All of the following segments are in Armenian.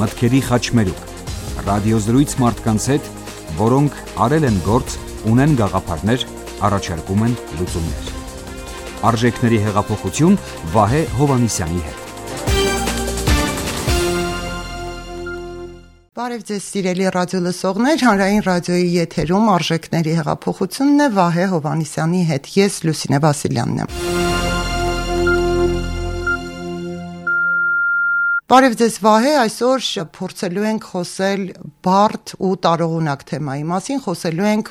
մտքերի խաչմերուկ, ռադիոզրույց մարդկանց հետ, որոնք արել են գործ, ունեն գաղափարներ, առաջարկում են լուծումներ։ Արժեքների հեղափոխություն Վահե Հովհաննիսյանի հետ։ Բարև ձեզ սիրելի ռադիոլսողներ, հանրային ռադիոյի եթերում արժեքների հեղափոխությունն է Վահե Հովհաննիսյանի հետ, ես Լուսինե Վասիլյանն եմ։ Բարև ձեզ Վահե, այսօր փորձելու ենք խոսել բարդ ու տարողունակ թեմայի մասին, խոսելու ենք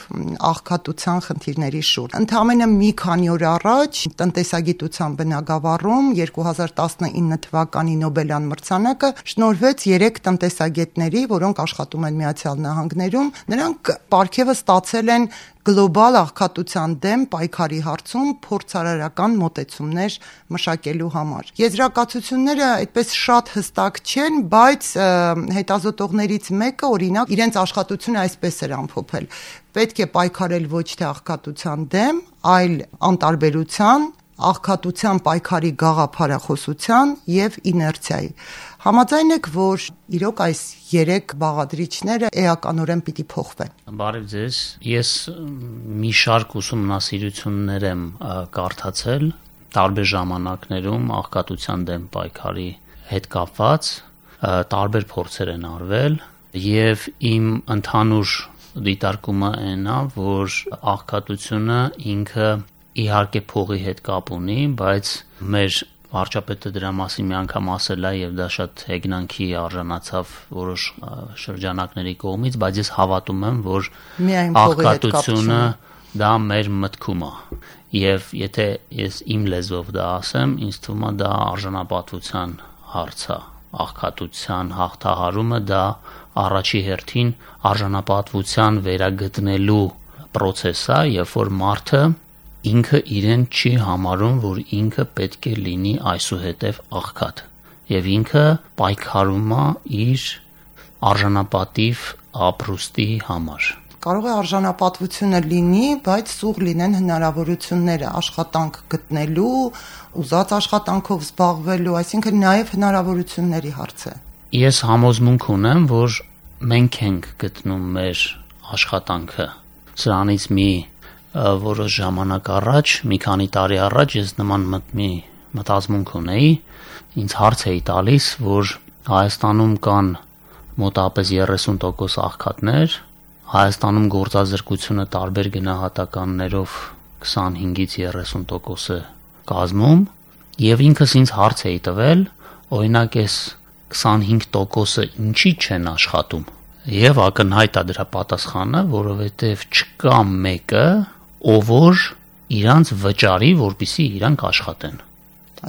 աղքատության խնդիրների շուրջ։ Ընդամենը մի քանի օր առաջ տնտեսագիտության բնագավառում 2019 թվականի Նոբելյան մրցանակը շնորհվեց 3 տնտեսագետների, որոնք աշխատում են Միացյալ Նահանգներում։ Նրանք պարգևը ստացել են գլոբալ աղքատության դեմ պայքարի հարցում փորձարարական մոտեցումներ մշակելու համար։ Եզրակացությունները այդպես շատ հստակ չեն, բայց հետազոտողներից մեկը, օրինակ, իրենց աշխատությունը այսպես էր ամփոփել. պետք է պայքարել ոչ թե աղքատության դեմ, այլ անտարբերության, աղքատության պայքարի գաղափարախոսության եւ իներցիայի։ Համաձայն եք, որ իրոք այս 3 բաղադրիչները էականորեն պիտի փոխվեն։ Բարև ձեզ։ Ես մի շարք ուսումնասիրություններ եմ կարդացել տարբեր ժամանակներում աղքատության դեմ պայքարի հետ կապված, տարբեր փորձեր են արվել եւ իմ ընդհանուր դիտարկումը այն է, որ աղքատությունը ինքը իհարկե փողի հետ կապ ունի, բայց մեր վարչապետը դրա մասին մի անգամ ասել է եւ դա շատ հեգնանքի արժանացավ որոշ շրջանակների կողմից, բայց ես հավատում եմ, որ աղքատությունը դա մեր մտքում է եւ եթե ես իմ լեզվով դա ասեմ, ինձ թվում է դա արժանապատվության հարց է, աղքատության հաղթահարումը դա առաջի հերթին արժանապատվության վերագտնելու process է, երբ որ մարդը ինքը իրեն չի համարում, որ ինքը պետք է լինի այսուհետև աղքատ եւ ինքը պայքարում է իր արժանապատիվ ապրուստի համար։ Կարող է արժանապատվությունը լինի, բայց սուղ լինեն հնարավորությունները աշխատանք գտնելու, ուզած աշխատանքով զբաղվելու, այսինքն նաեւ հնարավորությունների հարց է։ Ես համոզմունք ունեմ, որ մենք ենք գտնում մեր աշխատանքը։ Սրանից մի որոշ ժամանակ առաջ, մի քանի տարի առաջ ես նման մի մտածմունք ունեի, ինձ հարց էի տալիս, որ Հայաստանում կան մոտավորապես 30% աղքատներ, Հայաստանում գործազրկությունը տարբեր գնահատականներով 25-ից 30% կազմում, եւ ինքս ինձ հարց էի տվել, օրինակ այս 25%-ը ինչի չեն աշխատում։ Եվ ակնհայտ է դրա պատասխանը, որովհետեւ չկա մեկը, ով որ իրանց վճարի, որպեսզի իրանք աշխատեն։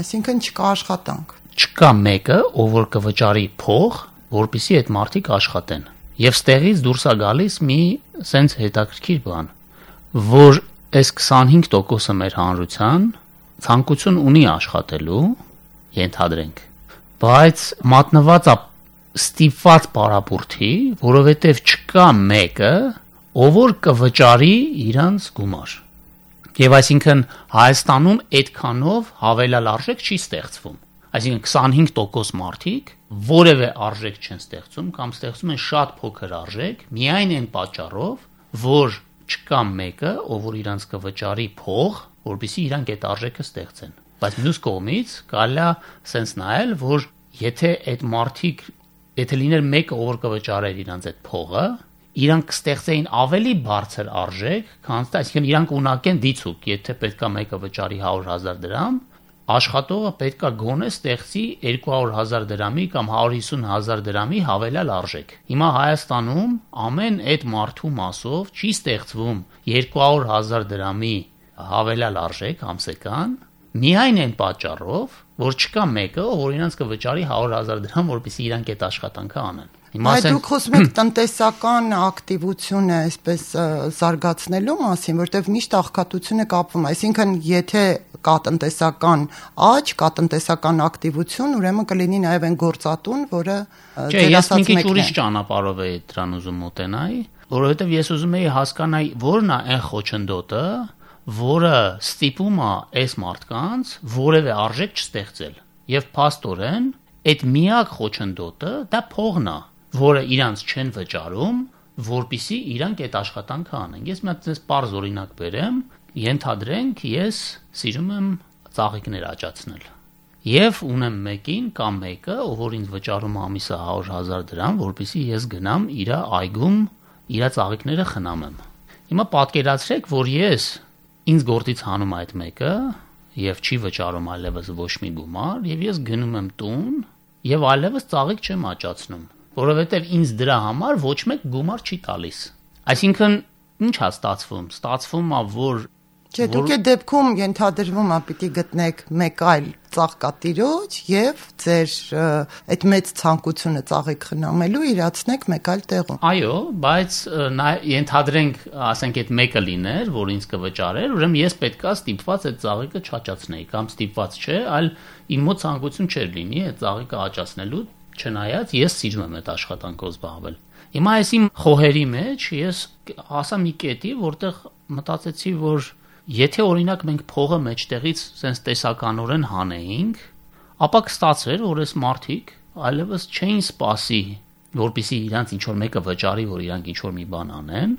Այսինքն չկա աշխատանք։ Չկա մեկը, ով որ կվճարի փող, որպեսզի այդ մարդիկ աշխատեն։ Եվ ստեղից դուրս է գալիս մի սենց հետաքրքիր բան, որ այս 25%-ը մեր հանրության ցանկություն ունի աշխատելու, ենթադրենք, բայց մատնված է ստիպված պարապուրտի, որովհետև չկա մեկը, ով որ կվճարի իրանց գումար։ Եվ այսինքն Հայաստանում այդքանով հավելյալ արժեք չի ստեղծվում։ Այսինքն 25% մարդիկ որևէ արժեք չեն ստեղծում կամ ստեղծում են շատ փոքր արժեք, միայն այն պատճառով, որ չկա մեկը, ով որ իրանց կվճարի փող, որպեսզի իրանք այդ արժեքը ստեղծեն։ Բայց մյուս կողմից կարելի է սենց նայել, որ եթե այդ մարդիկ, եթե լիներ մեկը, ով որ կվճարեր իրանց այդ փողը, իրանք կստեղծեին ավելի բարձր արժեք, քան այսինքն իրանք ունակեն դիցուկ, եթե պետքա մեկը վճարի 100,000 դրամ, աշխատողը պետքա գոնե ստեղծի 200,000 դրամի կամ 150,000 դրամի հավելյալ արժեք։ Հիմա Հայաստանում ամեն այդ մարդու մասով չի ստեղծվում 200,000 դրամի հավելյալ արժեք ամսական, միայն այն պատճառով, որ չկա մեկը, ով իրանց կվճարի 100,000 դրամ, որպեսզի իրանք այդ աշխատանքը անեն։ Այդ դուք խոսում եք տնտեսական ակտիվությունը այսպես զարգացնելու մասին, որտեղ միշտ աղքատությունը կապվում է, այսինքն եթե կա տնտեսական աճ, կա տնտեսական ակտիվություն, ուրեմն կլինի նաև այն գործատուն, որը ես մի քիչ ուրիշ ճանապարհով էի դրան ուզում մոտենալ, որովհետև ես ուզում էի հասկանալ, որն է այն խոչընդոտը, որը ստիպում է այս մարդկանց որևէ արժեք չստեղծել։ Եվ փաստորեն այդ միակ խոչընդոտը դա փողն է, որը իրանց չեն վճարում, որպիսի իրանք այդ աշխատանքը անեն։ Ես մի հատ այս պարզ օրինակ բերեմ, ենթադրենք ես սիրում եմ ծաղիկներ աճացնել։ Եվ ունեմ մեկին կամ մեկը, ով որ ինձ վճարում ամիսը 100,000 դրամ, որպեսզի ես գնամ իր այգում իր ծաղիկները խնամեմ։ Հիմա պատկերացրեք, որ ես ինձ գործից հանում այդ մեկը եւ չի վճարում այլևս ոչ մի գումար, եւ ես գնում եմ տուն եւ այլևս ծաղիկ չեմ աճացնում, որովհետեւ ինձ դրա համար ոչ մեկ գումար չի տալիս։ Այսինքն ինչ է ստացվում։ Ստացվում է, որ Չէ, դուք այդ դեպքում ենթադրվում է պիտի գտնեք մեկ այլ ծաղկատիրոջ եւ ձեր այդ մեծ ցանկությունը ծաղիկ խնամելու իրացնեք մեկ այլ տեղում։ Այո, բայց ենթադրենք, ասենք այդ մեկը լիներ, որ ինձ կվճարեր, ուրեմն ես պետքա ստիպված այդ ծաղիկը չաճացնեի, կամ ստիպված չէ, այլ իմ մոտ ցանկություն չէր լինի այդ ծաղիկը աճացնելու, չնայած ես սիրում եմ այդ աշխատանքով զբաղվել։ Հիմա այս իմ խոհերի մեջ ես հասա մի կետի, որտեղ մտածեցի, որ եթե օրինակ մենք փողը մեջտեղից sense տեսականորեն հանեինք, ապա կստացեր, որ այս մարդիկ այլևս չէին սպասի, որպեսզի իրանց ինչ որ մեկը վճարի, որ իրանք ինչ որ մի բան անեն,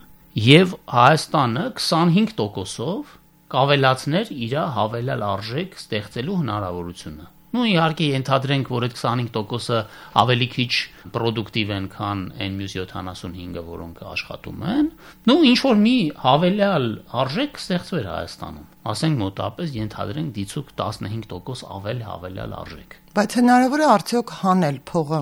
եւ Հայաստանը 25%-ով կավելացներ իր հավելյալ արժեք ստեղծելու հնարավորությունը։ Ну իհարկե ենթադրենք, որ այդ 25%-ը ավելի քիչ պրոդուկտիվ են, քան այն մյուս 75-ը, որոնք աշխատում են։ Ну ինչ որ մի հավելյալ արժեք ստեղծվեր Հայաստանում։ Ասենք մոտապես ենթադրենք դիցուկ 15% հավելյալ արժեք։ Բայց հնարավոր է արդյոք հանել փողը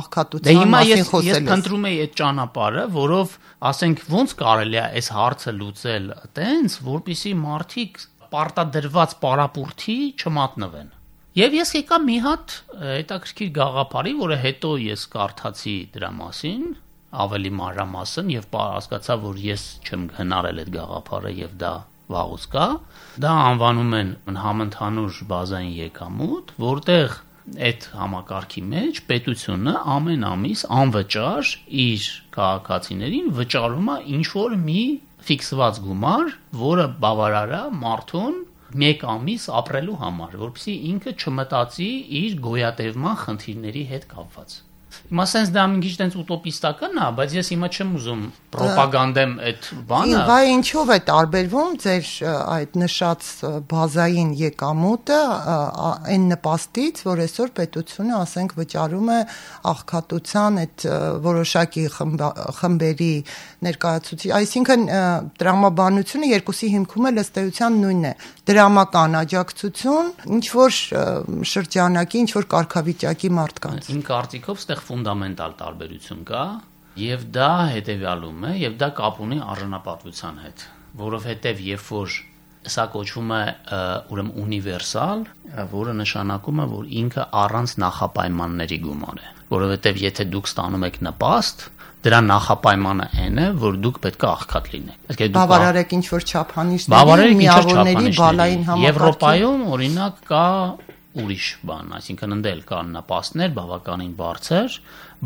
աղքատության մասին խոսելիս։ Ես փնտրում եի այդ ճանապարհը, որով ասենք ոնց կարելի է այս հարցը լուծել այտենց, որպեսզի մարդիկ պարտադրված պարապուրտի չմատնվեն։ Եվ ես եկա մի հատ հետաքրքիր գաղափարի, որը հետո ես կարդացի դրա մասին, ավելի մանրամասն եւ հասկացա, որ ես չեմ հնարել այդ գաղափարը եւ դա վաղուց կա։ Դա անվանում են համընդհանուր բազային եկամուտ, որտեղ այդ համակարգի մեջ պետությունը ամեն ամիս անվճար իր քաղաքացիներին վճարում է ինչ որ մի ֆիքսված գումար, որը բավարար է մարդուն մեկ ամիս ապրելու համար, որպեսզի ինքը չմտածի իր գոյատևման խնդիրների հետ կապված։ Հիմա sense դա մի քիչ տենց ուտոպիստական է, բայց ես հիմա չեմ ուզում ռոպագանդեմ այդ բանը։ Բա ինչով է տարբերվում ձեր այդ նշած բազային եկամուտը այն նպաստից, որ այսօր պետությունը, ասենք, վճարում է աղքատության այդ որոշակի խմբերի ներկայացուցիչ, այսինքն տրամաբանությունը երկուսի հիմքում է ըստ էության նույնն է։ Դրամական աջակցություն, ինչ որ շրջանակի, ինչ որ կարգավիճակի մարդկանց։ Իմ կարծիքով ստեղ ֆունդամենտալ տարբերություն կա, եւ դա հետեւյալում է, եւ դա կապ ունի արժանապատվության հետ, որովհետեւ երբ որ սա կոչվում է ուրեմն ունիվերսալ, որը նշանակում է, որ ինքը առանց նախապայմանների գումար է, որովհետեւ եթե դուք ստանում եք նպաստ, դրա նախապայմանը այն է, որ դուք պետք է աղքատ լինեք։ Բավարարեք ինչ որ չափանիշների, միավորների բալային համակարգի։ Եվրոպայում օրինակ կա ուրիշ բան, այսինքն ընդել կան նպաստներ բավականին բարձր,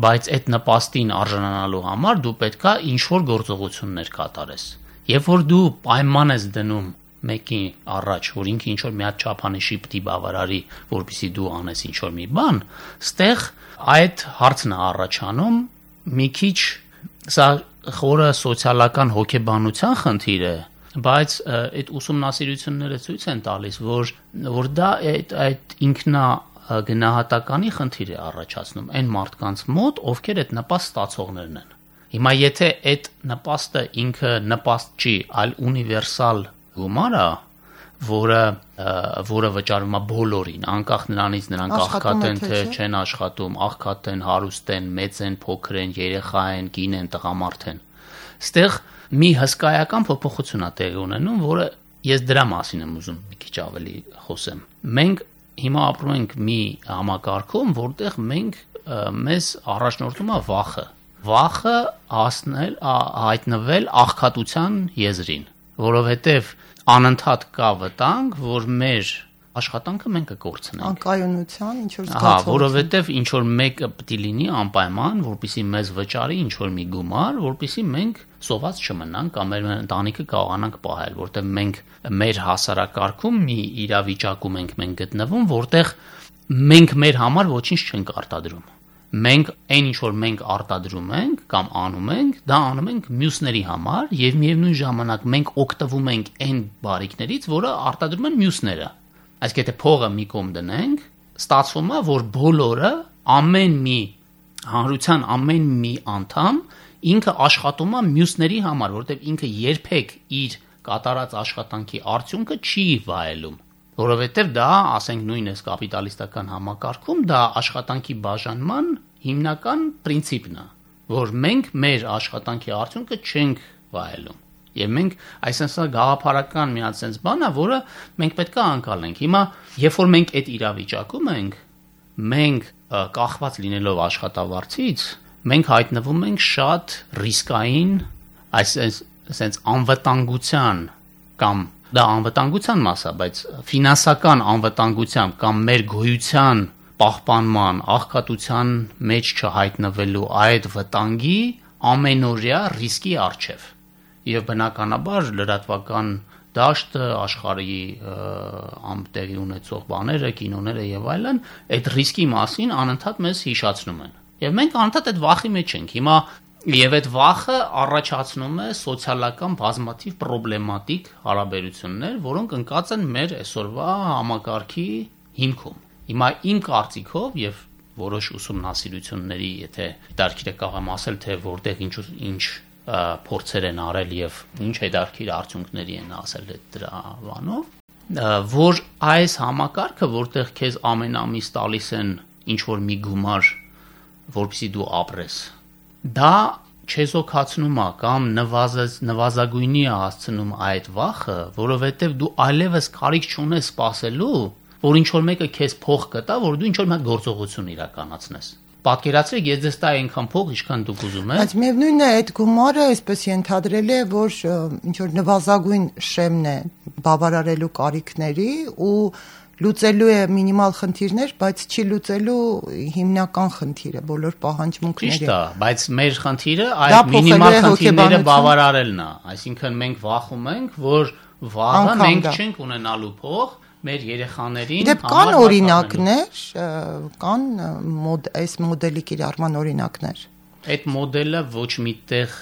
բայց այդ նպաստին արժանանալու համար դու պետքա ինչ որ գործողություններ կատարես։ Երբ որ դու պայման ես դնում մեկի առաջ, որ ինքը ինչ որ մի հատ չափանիշի պիտի բավարարի, որպեսզի դու անես ինչ որ մի բան, ստեղ այդ հարցն է առաջանում մի քիչ սա խորը սոցիալական հոգեբանության խնդիր է, բայց այդ ուսումնասիրությունները ցույց են տալիս, որ դա այդ ինքնա գնահատականի խնդիր է առաջացնում այն մարդկանց մոտ, ովքեր այդ նպաստ ստացողներն են։ Հիմա եթե այդ նպաստը ինքը նպաստ չի, այլ ունիվերսալ գումար է, որը վճարում է բոլորին, անկախ նրանից նրանք աղքատ են թե չեն աշխատում, աղքատ են, հարուստ են, մեծ են, փոքր են, երեխա են, կին են, տղամարդ են։ Ստեղ մի հսկայական փոփոխություն է տեղի ունենում, որը ես դրա մասին եմ ուզում մի քիչ ավելի խոսեմ։ Մենք հիմա ապրում ենք մի համակարգում, որտեղ մեզ առաջնորդում է վախը հայտնվել աղքատության եզրին, որովհետև անընդհատ կա վտանգ, որ մեր աշխատանքը մենք կկորցնենք։ Անկայունության ինչ որ զգացողություն։ Որովհետև ինչ որ մեկը պետք է լինի անպայման, որպեսզի մեզ վճարի ինչ որ մի գումար, որպեսզի մենք սոված չմնանք կամ մեր ընտանիքը կարողանանք պահել, որտեղ մենք մեր հասարակարգում մի իրավիճակում ենք մենք գտնվում, որտեղ մենք մեր համար ոչինչ չենք արտադրում։ Մենք այն ինչ որ մենք արտադրում ենք կամ անում ենք, դա անում ենք մյուսների համար եւ միևնույն ժամանակ մենք օգտվում ենք այն բարիքներից, որը արտադրում են մյուսները։ Այսինքն եթե փողը մի կողմ դնենք, ստացվում է, որ բոլորը ամեն մի հանրության ամեն մի անդամ ինքը աշխատում է մյուսների համար, որովհետեւ ինքը երբեք իր կատարած աշխատանքի արդյունքը չի վայելում, որովհետև դա, ասենք նույնիսկ կապիտալիստական համակարգում, դա աշխատանքի բաժանման հիմնական պրինցիպն է, որ մենք մեր աշխատանքի արդյունքը չենք վայելում։ Եվ մենք այսինքն գաղափարական մի հատ sense բան է, որը մենք պետք է անցալենք։ Հիմա, երբ որ մենք այդ իրավիճակում ենք, մենք կախված լինելով աշխատավարձից, մենք հայտնվում ենք շատ ռիսկային, այսինքն անվտանգության կամ դա անվտանգության մաս է, բայց ֆինանսական անվտանգության կամ մեր գոյության պահպանման, աղքատության մեջ չհայտնվելու այդ վտանգի ամենօրյա ռիսկի առջև։ Եվ բնականաբար լրատվական դաշտը, աշխարհի ամտեղի ունեցող բաները, կինոները եւ այլն, այդ ռիսկի մասին անընդհատ մեզ հիշացնում են։ Եվ մենք անընդհատ այդ վախի մեջ ենք։ Հիմա Եվ այդ վախը առաջացնում է սոցիալական բազմաթիվ պրոբլեմատիկ հարաբերություններ, որոնք ընկած են մեր այսօրվա համակարգի հիմքում։ Հիմա իմ կարծիքով եւ որոշ ուսումնասիրությունների, եթե դարքիրը կարող ասել, թե որտեղ ինչ փորձեր են արել եւ ինչ հետարքիր արդյունքների են ասել դրա բանով, որ այս համակարգը, որտեղ քեզ ամեն ամիս տալիս են ինչ որ մի գումար, որպեսզի դու ապրես, դա չեզոքացնում է կամ նվազագույնի է հասցնում այդ վախը, որովհետև դու այլևս կարիք չունես սպասելու, որ ինչ-որ մեկը քեզ փող կտա, որ դու ինչ-որ մի հատ գործողություն իրականացնես։ Պատկերացրեք, ես ձեզ տա այնքան փող, ինչքան դուք ուզում եք։ Բայց միևնույնն է, այդ գումարը այսպես ենթադրել է, որ ինչ-որ նվազագույն շեմն է բավարարելու կարիքների ու լուծելու է մինիմալ խնդիրներ, բայց չի լուծելու հիմնական խնդիրը, բոլոր պահանջմունքները։ Ճիշտ է, բայց մեր խնդիրը այդ մինիմալ խնդիրները բավարարելն է, այսինքն մենք վախում ենք, որ վաղը մենք չենք ունենալու փող մեր երեխաներին Դե կան օրինակներ, կան այս մոդելի կիրառման օրինակներ։ Այդ մոդելը ոչ միտեղ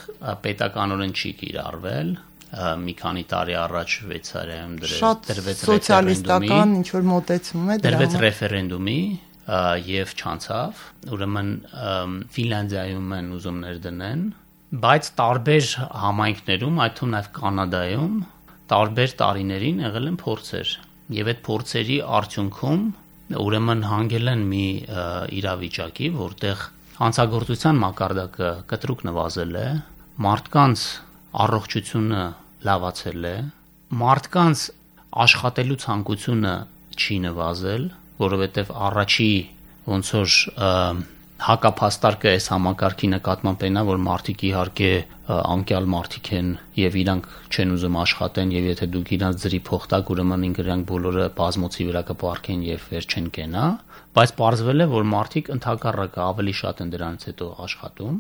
պետականորեն չի կիրառվել, մի քանի տարի առաջ Շվեյցարիայում դրվեց սոցիալիստական ինչ որ մոտեցում է դրվեց ռեֆերենդումի եւ չանցավ, ուրեմն Ֆինլանդիայում են ուզումներ դնեն, բայց տարբեր համայնքներում, այդ թվում նաեւ Կանադայում, տարբեր տարիներին եղել են փորձեր եւ այդ փորձերի արդյունքում ուրեմն հանգել են մի իրավիճակի, որտեղ հանցագործության մակարդակը կտրուկ նվազել է, մարդկանց առողջությունը լավացել է, մարդկանց աշխատելու ցանկությունը չի նվազել, որովհետև առաջի ոնց որ հակափաստարկը այս համակարգի նկատմամբ այնա, որ մարդիկ իհարկե անկյալ մարդիկ են եւ իրանք չեն ուզում աշխատեն եւ եթե դուք իրանց ձրի փող տաք, ուրեմն իրանք բոլորը բազմոցի վրա կպարկեն եւ վեր չեն կենա, բայց պարզվել է, որ մարդիկ ընդհակառակը ավելի շատ են դրանից հետո աշխատում։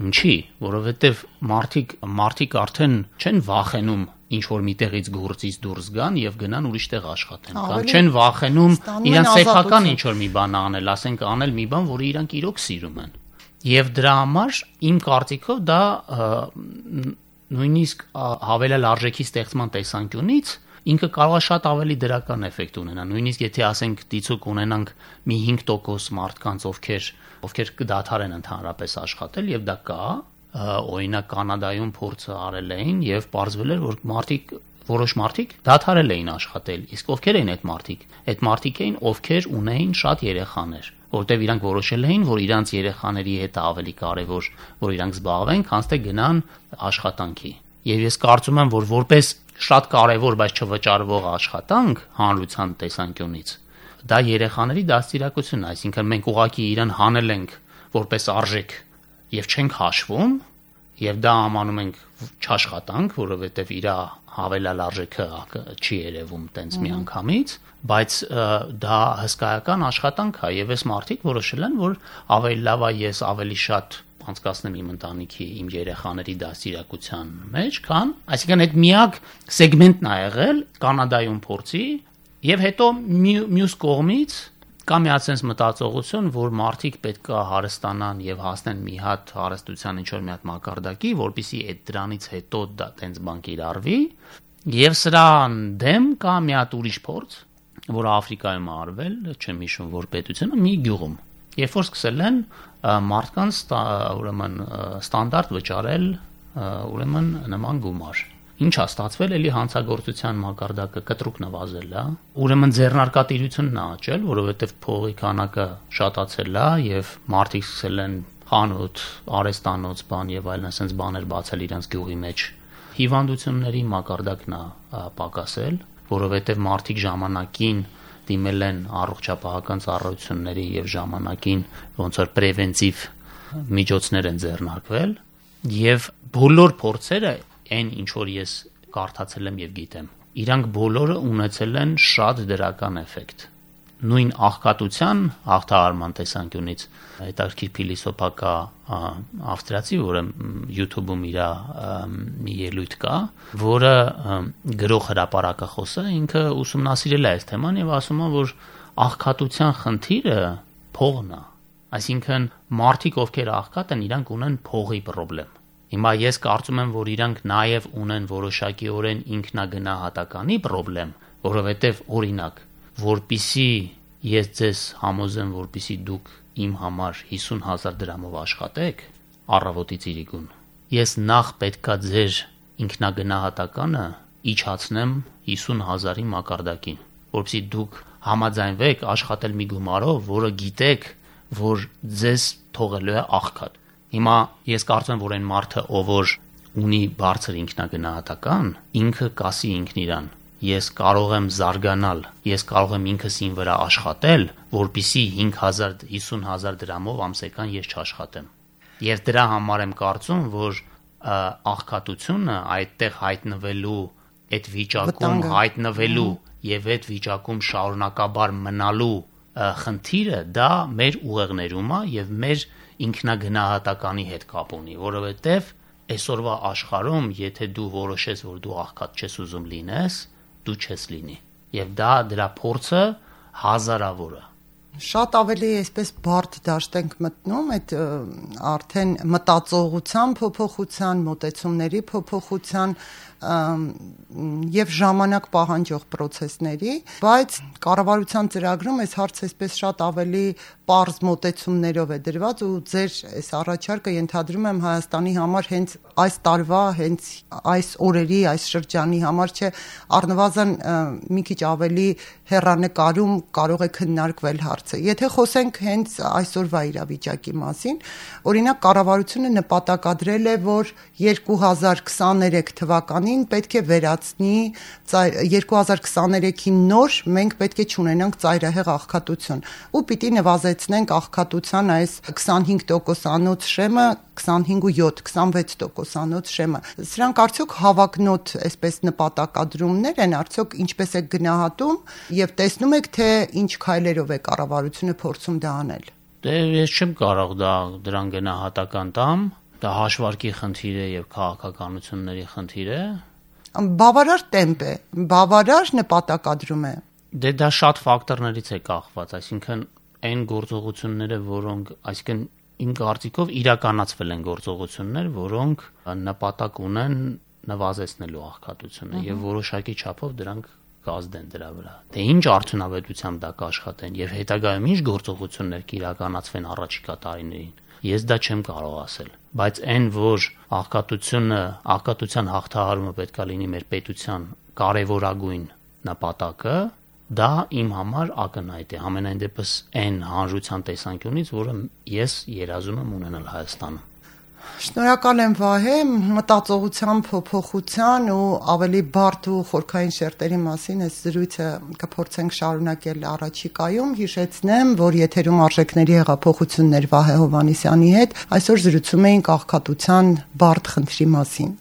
Ինչի, որովհետև մարդիկ արդեն չեն վախենում ինչ որ միտեղից գործից դուրս գան եւ գնան ուրիշ տեղ աշխատեն, կամ չեն վախենում իրանց սեփական ինչ որ մի բան անել, ասենք անել մի բան, որը իրանք իրոք սիրում են։ Եվ դրա համար իմ կարծիքով դա նույնիսկ հավելյալ արժեքի ստեղծման տեսանկյունից ինքը կարող է շատ ավելի դրական էֆեկտ ունենա, նույնիսկ եթե ասենք դիցուկ ունենանք մի 5% մարդկանց, ովքեր կդադարեն ընդհանրապես աշխատել եւ դա կա, օրինակ Կանադայում փորձը արել էին եւ պարզվել էր, որ որոշ մարդիկ դադարել էին աշխատել, իսկ ովքեր էին այդ մարդիկ։ Այդ մարդիկ էին, ովքեր ունեին շատ երեխաներ, որտեղ իրանք որոշել էին, որ իրանց երեխաների հետ ավելի կարեւոր, որ իրանք զբաղվեն, քան թե գնան աշխատանքի։ Եվ ես կարծում եմ, որ որպես շատ կարևոր, բայց չվճարվող աշխատանք հանրության տեսանկյունից, դա երեխաների դաստիարակությունն է, այսինքն մենք ուղղակի իրան հանել ենք որպես արժեք եւ չենք հաշվում, եւ դա համանում ենք չաշխատանք, որովհետեւ իր հավելյալ արժեքը չի երևում տենց միանգամից, բայց դա հսկայական աշխատանք է եւ այս մարդիկ որոշել են, որ ավելի լավ է ես ավելի շատ անցկացնեմ իմ ընտանիքի, իմ երեխաների դաստիարակության մեջ, քան, այսինքն այդ միակ սեգմենտն ա եղել Կանադայում փորձի եւ հետո մյուս կողմից Կա մի հատ sense մտածողություն, որ մարդիկ պետք է հարստանան եւ հասնեն մի հատ հարստության ինչ-որ մի հատ մակարդակի, որպեսզի այդ դրանից հետո դա տենց բան կիրառվի, եւ սրան դեմ կա մի հատ ուրիշ փորձ, որ Աֆրիկայում է արվել, չեմ հիշում որ պետությունը մի գյուղում, երբ որ սկսել են մարդկանց ուրեմն ստանդարտ վճարել ուրեմն նման գումար։ Ինչ է ստացվել, էլի հանցագործության մակարդակը կտրուկ նվազել է, ուրեմն ձեռնարկատիրությունն է աճել, որովհետև փողի քանակը շատացել է եւ մարդիկ սկսել են խանութ, արհեստանոց, բան եւ այլն, ասենց բաներ բացել իրենց գյուղի մեջ։ Հիվանդությունների մակարդակն է պակասել, որովհետև մարդիկ ժամանակին դիմել են առողջապահական ծառայությունների եւ ժամանակին ոնց որ պրևենտիվ միջոցներ են ձեռնարկվել եւ բոլոր փորձերը այն ինչ որ ես կարդացել եմ եւ գիտեմ, իրանք բոլորը ունեցել են շատ դրական էֆեկտ։ Նույն աղքատության հաղթահարման տեսանկյունից հետաքրքիր փիլիսոփա կա ավստրիացի, որը YouTube-ում իր մի ելույթ կա, որը գրող հրապարակախոս է, ինքը ուսումնասիրել է այս թեման եւ ասում է, որ աղքատության խնդիրը փողն է, այսինքն մարդիկ ովքեր աղքատ են, իրանք ունեն փողի խնդրեմ։ Հիմա ես կարծում եմ, որ իրանք նաեւ ունեն որոշակիորեն ինքնագնահատականի խնդրեմ, որովհետեւ օրինակ որպիսի ես ձեզ համոզեմ, որպիսի դուք իմ համար 50,000 դրամով աշխատեք, առավոտից իրիկուն, ես նախ պետքա ձեր ինքնագնահատականը իջացնեմ 50,000-ի մակարդակին, որպեսի դուք համաձայնվեք աշխատել մի գումարով, որը գիտեք, որ ձեզ թողելու է աղքատ։ Հիմա ես կարծում եմ, որ այն մարդը, ով որ ունի բարձր ինքնագնահատական, ինքը կասի ինքն իրան. ես կարող եմ զարգանալ, ես կարող եմ ինքս ին վրա աշխատել, որպիսի 50,000 դրամով ամսական ես չաշխատեմ։ Եվ դրա համար եմ կարծում, որ աղքատությունը այդտեղ հայտնվելու, այդ վիճակում հայտնվելու եւ այդ վիճակում շարունակաբար մնալու խնդիրը դա մեր ուղեղներում է եւ մեր ինքնագնահատականի հետ կապ ունի, որովհետեւ այսօրվա աշխարհում, եթե դու որոշես, որ դու աղքատ չես ուզում լինես, դու չես լինի։ Եվ դա դրա փորձը հազարավոր է։ Շատ ավելի այսպես բարդ դաշտ ենք մտնում այդ արդեն մտածողության փոփոխության, մոտեցումների փոփոխության եւ ժամանակ պահանջող process-ների, բայց կառավարության ծրագրում այս հարցը այսպես շատ ավելի պարզ մոտեցումներով է դրված ու ձեր այս առաջարկը ենթադրում եմ Հայաստանի համար հենց այս տարվա, հենց այս օրերի, այս շրջանի համար չէ, առնվազն մի քիչ ավելի հեռանկարում կարող է քննարկվել հարցը։ Եթե խոսենք հենց այսօրվա իրավիճակի մասին, օրինակ կառավարությունը նպատակադրել է, որ 2023 թվականին պետք է վերացնի 2023-ին նոր մենք պետք է չունենանք ծայրահեղ աղքատություն ու պիտի նվազեցնենք աղքատության այս 25%-անոց շեմը 25.7-26%-անոց շեմը։ Սրանք արդյոք հավակնոտ այսպես նպատակադրումներ են, արդյոք ինչպես է գնահատում եւ տեսնում եք թե ինչ քայլերով է կառավարությունը փորձում դա անել։ Դե ես չեմ կարող դրան գնահատական տամ, դա հաշվարկի խնդիր է եւ քաղաքականությունների խնդիր է։ Բավարար տեմպ է, բավարար նպատակադրում է։ Դե դա շատ ֆակտորներից է կախված, այսինքն այն գործողությունները, որոնք, այսինքն իմ կարծիքով իրականացվել են գործողություններ, որոնք նպատակ ունեն նվազեցնելու աղքատությունը եւ որոշակի չափով դրանք կազդեն դրա վրա։ Դե ինչ արդյունավետությամբ դա կաշխատեն եւ հետագայում ինչ գործողություններ կիրականացվեն առաջիկա տարիներին։ Ես դա չեմ կարող ասել, բայց այն որ աղքատության հաղթահարումը պետքա լինի մեր պետության կարևորագույն նպատակը, դա իմ համար ակնհայտ է, համենայն դեպս այն հանրության տեսանկյունից, որը ես երազում եմ ունենալ Հայաստանում։ Շնորհակալ եմ Վահե, մտածողության փոփոխության ու ավելի բարդ ու խորքային շերտերի մասին այս զրույցը կփորձենք շարունակել առաջիկայում։ Հիշեցնեմ, որ եթերում արժեքների հեղափոխություններ Վահե Հովհաննիսյանի հետ այսօր զրուցում էինք աղքատության բարդ խնդրի մասին։